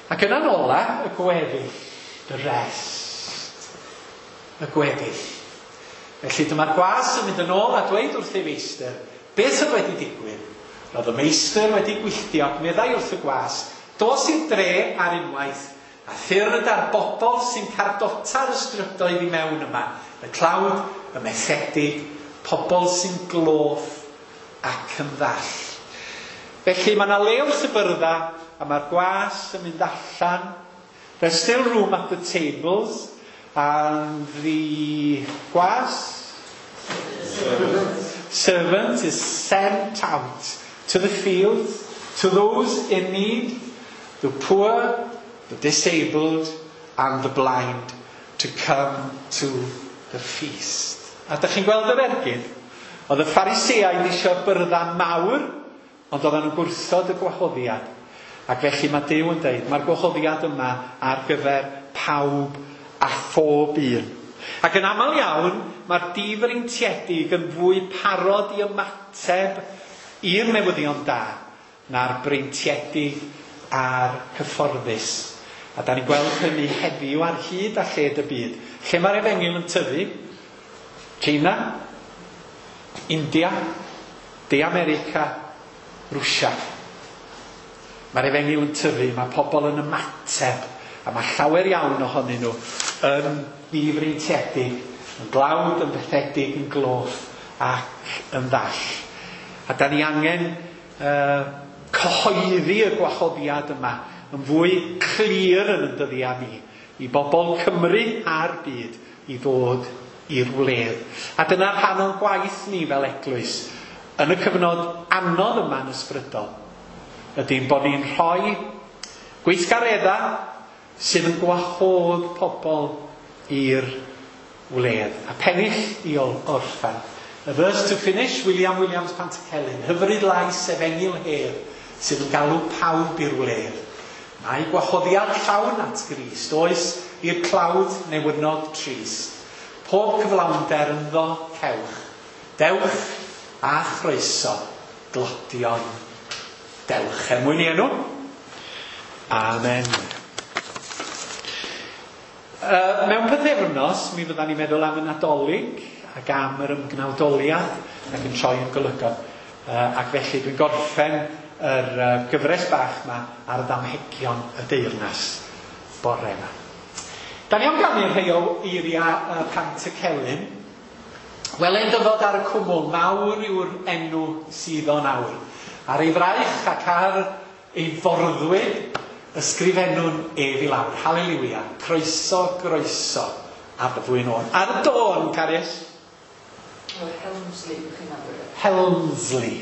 Ac yna'n ola, y gweddill, the rest, y gweddill. Felly dyma'r gwas yn mynd yn ôl a dweud wrth ei feistr, beth oedd wedi digwydd? Roedd y meistr wedi gwylltio ac meddai wrth y gwas, dos i'r dre ar unwaith, a thyrd ar bobl sy'n cardota'r ystrydoedd i mewn yma, y tlawd, y methedig, pobl sy'n gloff ac yn ddall. Felly mae yna le wrth y byrdda, a mae'r gwas yn mynd allan. There's still room at the tables, and the gwas servant. servant is sent out to the fields, to those in need, the poor, the disabled, and the blind, to come to the feast. A dych chi'n gweld yr ergyd? Oedd y Phariseaid eisiau byrdda mawr, ond oedden nhw'n gwrthod y gwahoddiad. Ac felly mae Duw yn dweud, mae'r gwahoddiad yma ar gyfer pawb a phob un. Ac yn aml iawn, mae'r difreintiedig yn fwy parod i ymateb i'r newyddion da na'r breintiedig a'r cyfforddus. A da ni'n gweld hynny heddiw ar hyd a lled y byd. Lle mae'r efengyl yn tyfu? China, India, De America, Rwsia. Mae'r efengyl yn tyfu, mae pobl yn ymateb, a mae llawer iawn ohonyn nhw yn ddifreintiedig, yn glawd, yn fethedig, yn gloff ac yn ddall. A da ni angen uh, cyhoeddi y gwahoddiad yma yn fwy clir yn y dyddiau ni, i bobl Cymru a'r byd i ddod i'r wledd. A dyna'r rhan o'n gwaith ni fel eglwys yn y cyfnod anodd yma'n ysbrydol, ydy'n bod ni'n rhoi gweithgareddau sydd yn gwahodd pobl i'r wledd. A pennill i orffen. A verse to finish, William Williams Pantycelyn. Hyfryd lais efengyl hedd sydd yn galw pawb i'r wledd. Mae gwahoddiad llawn at Grist, oes i'r clawd newynod trist. Pob cyflawnder ynddo cewch. Dewch a chroeso, glodion. Dewch er mwyn i enw. Amen. Uh, mewn pythefnos, mi fyddan ni'n meddwl am y Nadolig ac am yr ymgnawdoliad ac yn troi yn golygon. Uh, ac felly dwi'n gorffen yr uh, gyfres bach yma ar ddamhegion y deyrnas bore yma. Da ni am ganu rhai o eiriau uh, Pantycelyn. Wele'n dyfod ar y cwmwl, mawr yw'r enw sydd o'n awr. Ar ei fraich ac ar ei forddwyd, ysgrifennwn ef i lawr. Haleluia. Croeso, groeso ar y ddwy nôn. Ar y dôn, Carius. Helmsley, chi'n nabod e? Helmsley.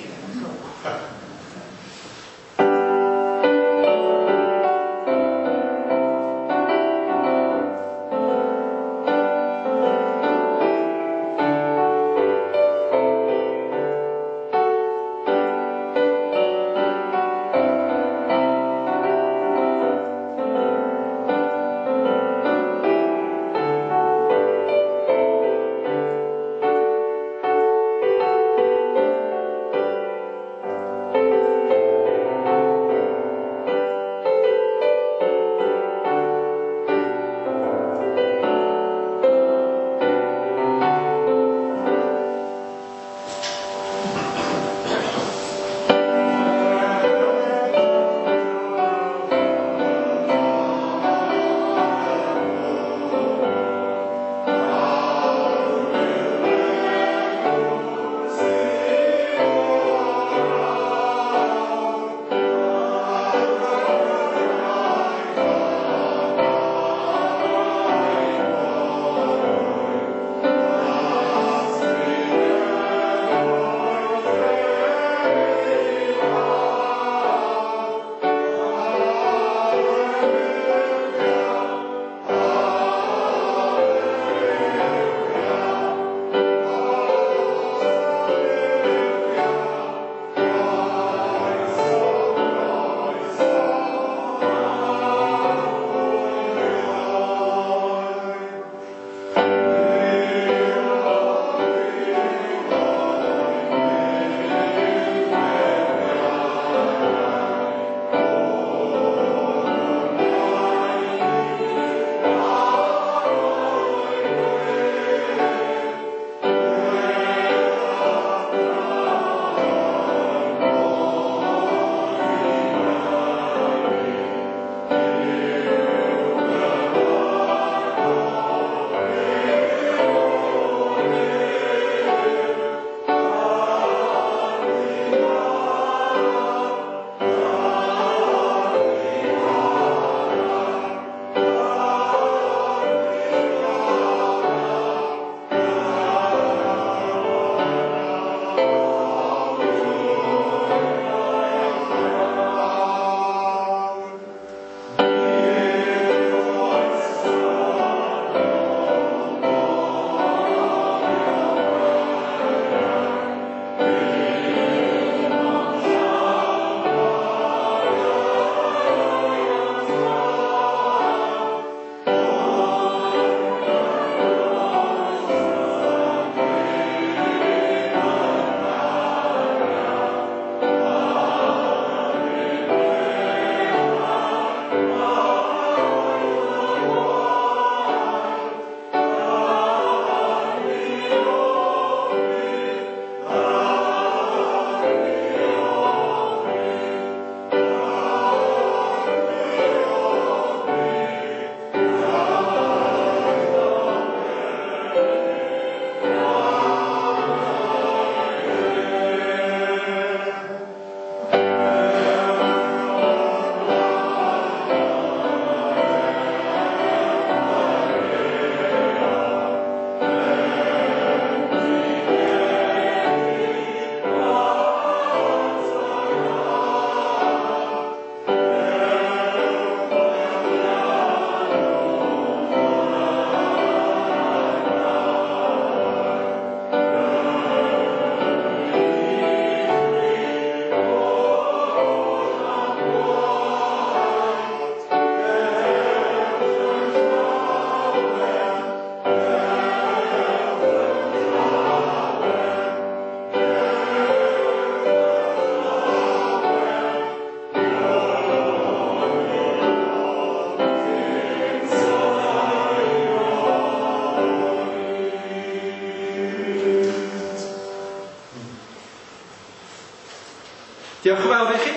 Diolch yn fawr i chi.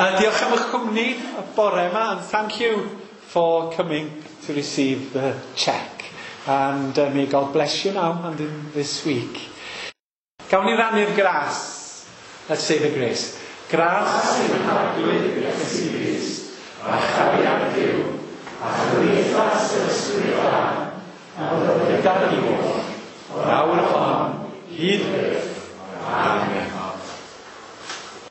Uh, diolch am eich cwmni y bore yma, and thank you for coming to receive the cheque. And uh, may God bless you now and in this week. Gawn ni rannu'r gras. Let's say the grace. Gras i'n Harglwydd Iesu Grist, a chariad Duw, a chymdeithas yr Ysbryd Glân, a fod gyda ni oll, nawr hon, hyd byth. Amen.